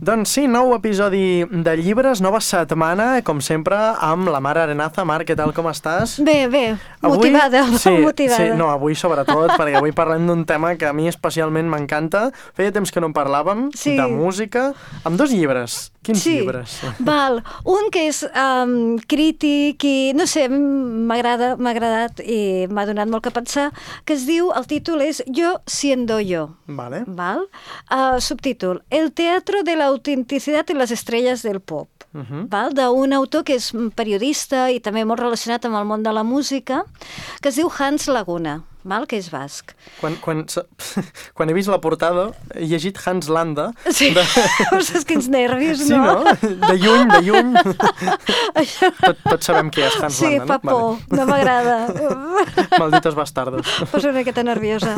Doncs sí, nou episodi de Llibres, nova setmana, com sempre, amb la Mar Arenaza. Mar, què tal, com estàs? Bé, motivada, motivada. Sí, no, avui sobretot, perquè avui parlem d'un tema que a mi especialment m'encanta. Feia temps que no en parlàvem, de música, amb dos llibres. Quins llibres? Val, un que és crític i, no sé, m'ha agradat i m'ha donat molt que pensar, que es diu, el títol és Yo siendo yo. Vale. Val? Subtítol, El teatro de la autenticidad en las estrellas del pop. Val? D'un autor que és periodista i també molt relacionat amb el món de la música, que es diu Hans Laguna, val? Que és basc. Quan he vist la portada, he llegit Hans Landa. Sí, saps quins nervis, no? Sí, no? De lluny. Tots sabem qui és Hans Landa, no? Sí, fa por, no m'agrada. Malditos bastardos. Poso una miqueta nerviosa.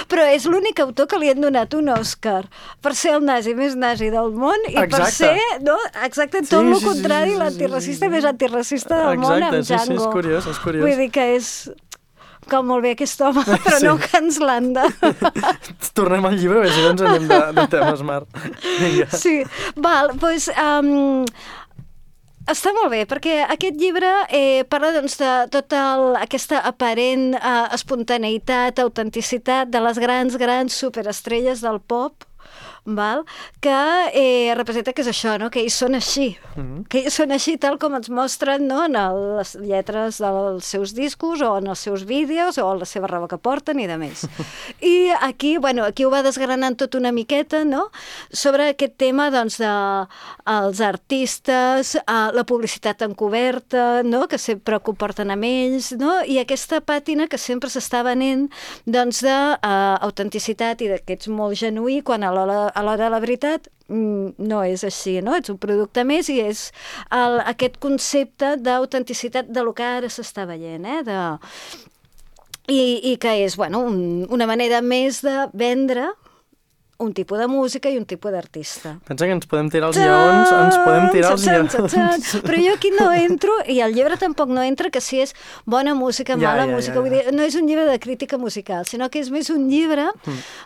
Però és l'únic autor que li han donat un Òscar per ser el nazi més nazi del món i per ser, no? Exacte, tot el contrari, l'antiracista més antiracista del món amb Django. Exacte, sí, és curiós. Vull dir que és... com molt bé aquest home, però no Hans Landa. Tornem al llibre, si no ens anem de temes, Mar. Vinga. Sí, val, doncs... està molt bé, perquè aquest llibre parla doncs, de tota aquesta aparent espontaneïtat, autenticitat de les grans superestrelles del pop, val? Que representa que és això, no? Que ells són així, que ells són així tal com ens mostren, no? En les lletres dels seus discos o en els seus vídeos o la seva roba que porten i de més. I aquí, aquí ho va desgranant tot una miqueta, no? Sobre aquest tema doncs, dels artistes, la publicitat encoberta, no? Que sempre comporten amb ells, no? I aquesta pàtina que sempre s'està venent doncs, d'autenticitat i que ets molt genuí quan a l'hora de la veritat no és així, no? Ets un producte més i és aquest concepte d'autenticitat de lo que ara s'està veient, i que és, una manera més de vendre un tipus de música i un tipus d'artista. Pensa que ens podem tirar els lleons. Però jo aquí no entro, i el llibre tampoc no entra, que si és bona música, mala música. Vull dir, no és un llibre de crítica musical, sinó que és més un llibre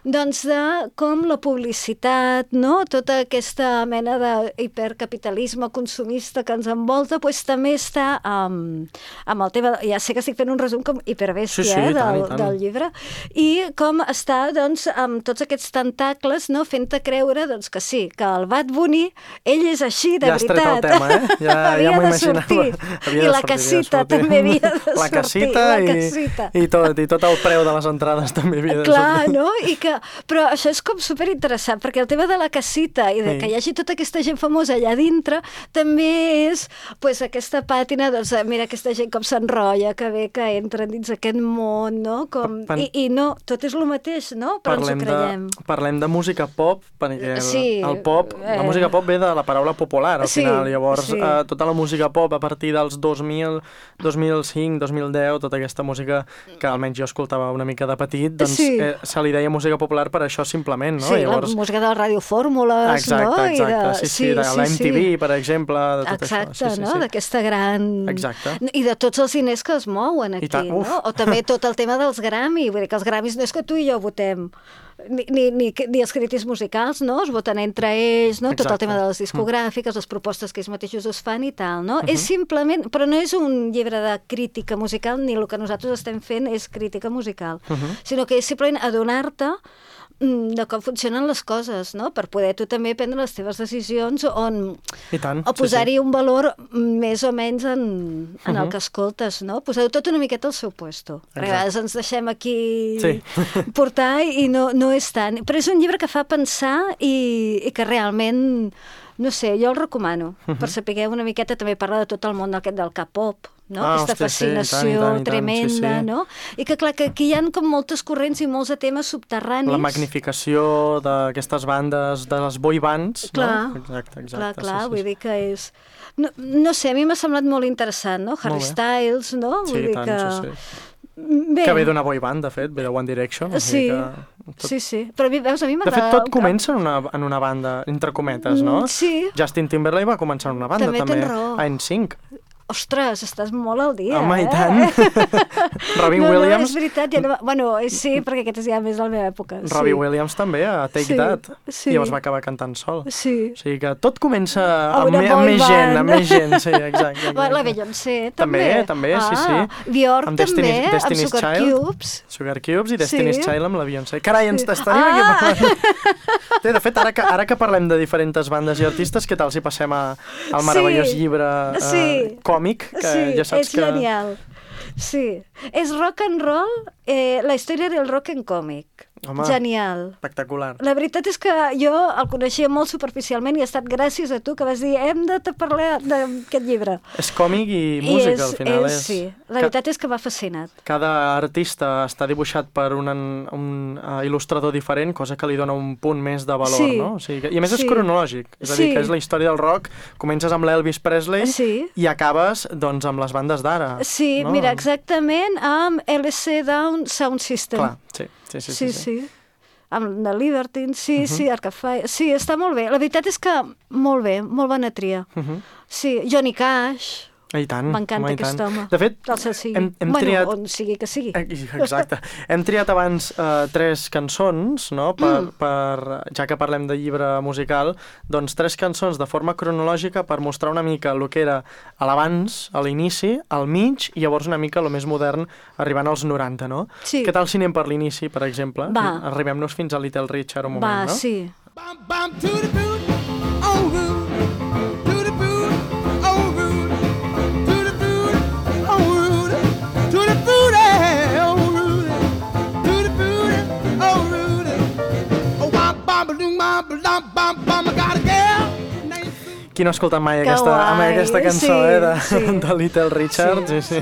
doncs, de com la publicitat, no? Tota aquesta mena d'hipercapitalisme consumista que ens envolta, doncs, també està amb el tema... Ja sé que estic fent un resum com hiperbèstia del llibre, i com està doncs, amb tots aquests tentacles, no? Fent-te creure doncs, que sí, que el Bad Bunny, ell és així, de veritat. Ja has tret el tema, havia de sortir. I la casita també havia de sortir. La casita i tot el preu de les entrades també havia de sortir. Clar, no? Però això és com superinteressant, perquè el tema de la casita i de que hi hagi tota aquesta gent famosa allà dintre també és aquesta pàtina, doncs, mira aquesta gent com s'enrotlla, que bé que entren dins aquest món, no? I no, tot és el mateix, no? Però ens ho creiem. Parlem de música pop, perquè el pop, la música pop ve de la paraula popular, al final. Llavors, tota la música pop a partir dels 2000, 2005, 2010, tota aquesta música que almenys jo escoltava una mica de petit, doncs se li deia música popular per això simplement, no? Sí, la música de la Ràdio Fórmules, no? Exacte, sí, de la MTV, per exemple, de tot això. Exacte, no? D'aquesta gran... Exacte. I de tots els diners que es mouen aquí, no? O també tot el tema dels Grammy, vull dir que els Grammys no és que tu i jo votem, ni els crítics musicals, no? Es voten entre ells, no? Tot el tema de les discogràfiques, les propostes que ells mateixos es fan i tal, no? És simplement... Però no és un llibre de crítica musical, ni el que nosaltres estem fent és crítica musical, sinó que és simplement adonar-te de com funcionen les coses, no? Per poder tu també prendre les teves decisions o posar-hi un valor més o menys en el que escoltes, no? Posar-ho tot una miqueta al seu puesto. Perquè a vegades ens deixem aquí portar i no és tant. Però és un llibre que fa pensar i que realment, no sé, jo el recomano, per saber una miqueta, també parla de tot el món del K-pop, no? Aquesta fascinació tremenda, no? I que clar, que aquí hi ha com moltes corrents i molts de temes subterranis. La magnificació d'aquestes bandes, de les boy bands, no? Exacte. Clar, vull dir que és... No sé, a mi m'ha semblat molt interessant, no? Harry Styles, no? Sí, tant, sí. Que ve d'una boy band, de fet, ve de One Direction. Sí, però veus, a mi m'agrada... De fet, tot comença en una banda, entre cometes, no? Sí. Justin Timberlake va començar en una banda, també. Tens raó. A NSYNC. Ostres, estàs molt al dia, Home, i tant. Robin Williams... No, és veritat. Bueno, sí, perquè aquesta és ja més de la meva època. Robbie Williams també, a Take That. I llavors va acabar cantant sol. Sí. O sigui que tot comença amb més gent. Sí, exacte. La Beyoncé, també. També, sí. Björk també, amb Sugar Cubes. Sugar Cubes i Destiny's Child amb la Beyoncé. Carai, ens tenim aquí parlant. De fet, ara que parlem de diferents bandes i artistes, què tal si passem al meravellós llibre còmic, que ja saps que... Sí, és genial. Sí, és rock and roll, la història del rock en còmic. Home, genial. Espectacular. La veritat és que jo el coneixia molt superficialment i ha estat gràcies a tu que vas dir hem de parlar d'aquest llibre. És còmic i música, al final. Sí, la veritat és que m'ha fascinat. Cada artista està dibuixat per un il·lustrador diferent, cosa que li dona un punt més de valor, no? O sigui, i a més és cronològic, és a dir, que és la història del rock, comences amb l'Elvis Presley i acabes doncs amb les bandes d'ara. Sí, no? Mira, exactament amb LC Down Sound System. Clar, sí. Amb The Libertines, sí, Arcade Fire. Sí, està molt bé. La veritat és que molt bé, molt bona tria. Sí, Johnny Cash. I tant. M'encanta aquest home. De fet, hem triat... on sigui que sigui. Exacte. Hem triat abans 3 cançons, no? Ja que parlem de llibre musical, doncs 3 cançons de forma cronològica per mostrar una mica el que era a l'abans, a l'inici, al mig, i llavors una mica el més modern, arribant als 90, no? Sí. Què tal si anem per l'inici, per exemple? Va. Arribem-nos fins a Little Richard un moment, no? Va, sí. Qui no ha escoltat mai aquesta cançó de Little Richard? Sí.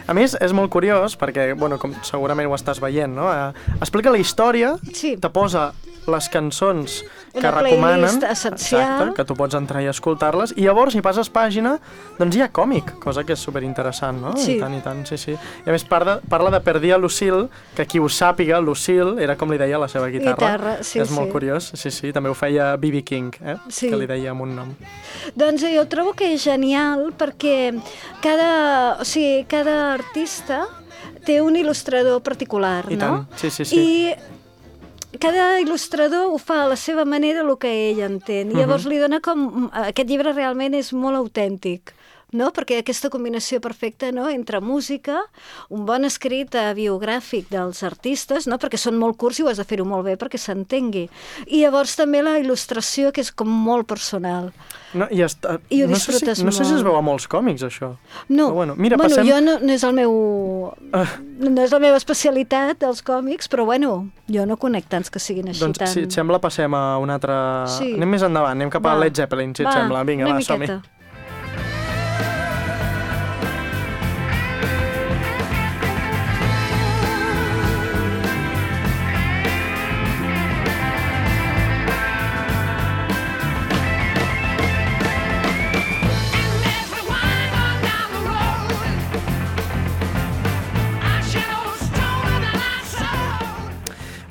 A més, és molt curiós perquè, bueno, com segurament ho estàs veient, no? Explica la història, te posa les cançons que recomanen, playlist essencial, que tu pots entrar i escoltar-les, i llavors, si passes pàgina, doncs hi ha còmic, cosa que és superinteressant, no? Sí. I tant, sí. I a més parla de Per dia Lucille, que qui ho sàpiga, Lucille era com li deia la seva guitarra. És molt curiós, sí. També ho feia B.B. King, que li deia amb un nom. Doncs jo trobo que és genial perquè cada artista té un il·lustrador particular, no? I tant, sí. I cada il·lustrador ho fa a la seva manera, el que ell entén. I llavors li dona com... Aquest llibre realment és molt autèntic, no? Perquè aquesta combinació perfecta, no? Entre música, un bon escrit biogràfic dels artistes, no? Perquè són molt curts i ho has de fer-ho molt bé perquè s'entengui. I llavors també la il·lustració, que és com molt personal. No, I ho disfrutes molt. No sé si es veu a molts còmics, això. No, mira, jo no és el meu... No és la meva especialitat, els còmics, però jo no conec tants que siguin així tant... Doncs, si et sembla, passem a un altre... Sí. Anem més endavant, anem cap a Led Zeppelin, si et sembla. Vinga, va, som-hi.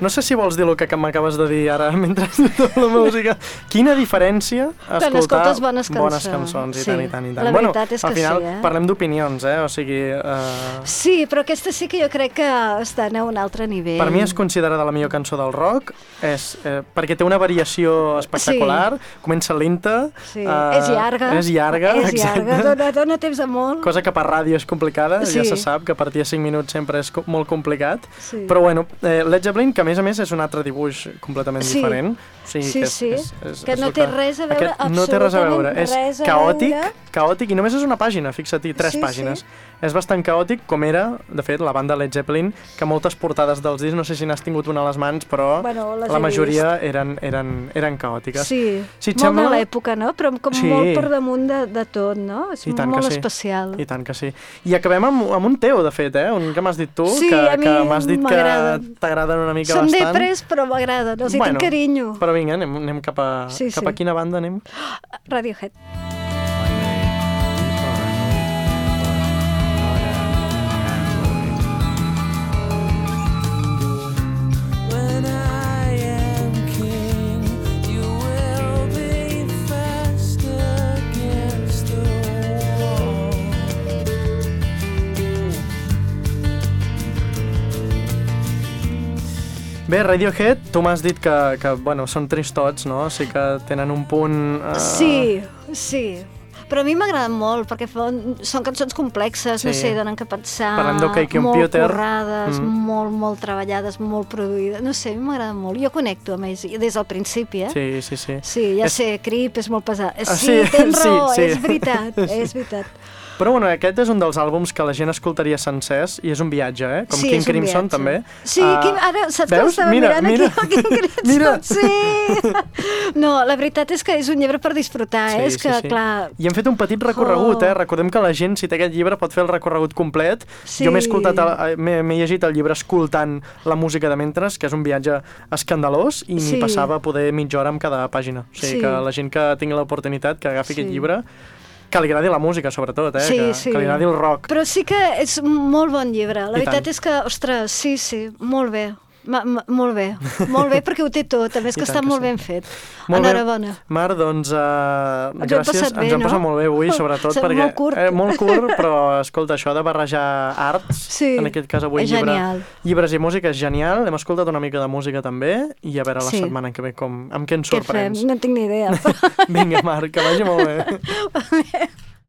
No sé si vols dir el que m'acabes de dir ara mentre escolto la música. Quina diferència escoltar bones cançons. I tant. La veritat és que al final sí, parlem d'opinions, o sigui... Sí, però aquesta sí que jo crec que estan a un altre nivell. Per mi és considerada la millor cançó del rock, perquè té una variació espectacular, comença lenta... Sí, és llarga, dona temps a molt. Cosa que per ràdio és complicada, ja se sap, que a partir de 5 minuts sempre és molt complicat. Però bueno, Led Zeppelin, que a més és un altre dibuix completament diferent. Sí, que no té res a veure, absolutament res a veure. És caòtic, i només és una pàgina, fixa-t'hi, 3 pàgines. És bastant caòtic, com era, de fet, la banda Led Zeppelin, que moltes portades dels discs, no sé si n'has tingut una a les mans, però la majoria eren caòtiques. Sí, molt de l'època, no? Però com molt per damunt de tot, no? És molt especial. I tant que sí. I acabem amb un teu, de fet, un que m'has dit tu, que m'has dit que t'agraden una mica bastant. Són depres, però m'agraden, els hi tinc carinyo. Però vinga, anem cap a quina banda anem? Radiohead. Bé, Radiohead, tu m'has dit que bueno, són tristots, no? O sigui que tenen un punt... Sí. Però a mi m'agraden molt, perquè són cançons complexes, no sé, donen que pensar, molt currades, molt treballades, molt produïdes, no sé, a mi m'agraden molt. Jo connecto amb ells, des del principi, Sí. Sí, ja sé, Creep és molt pesat. Sí, tens raó, és veritat. Però bueno, aquest és un dels àlbums que la gent escoltaria sencers i és un viatge, Com King Crimson també. Sí, ara saps que l'estava mirant aquí, King Crimson? Sí! No, la veritat és que és un llibre per disfrutar, és que, clar... I hem fet un petit recorregut, Recordem que la gent, si té aquest llibre, pot fer el recorregut complet. Jo m'he llegit el llibre escoltant la música de mentres, que és un viatge escandalós, i m'hi passava poder mitja hora amb cada pàgina. O sigui que la gent que tingui l'oportunitat, que agafi aquest llibre, que li agradi la música, sobretot, que li agradi el rock. Però sí que és molt bon llibre. La veritat és que, ostres, sí, molt bé. Molt bé, perquè ho té tot, a més que està molt ben fet. Enhorabona. Mar, doncs, gràcies, ens hem passat molt bé avui, sobretot perquè... Molt curt, però, escolta, això de barrejar arts, en aquest cas avui llibres i música és genial, hem escoltat una mica de música també, i a veure la setmana que ve amb què ens sorprens. Què fem? No tinc ni idea. Vinga, Mar, que vagi molt bé.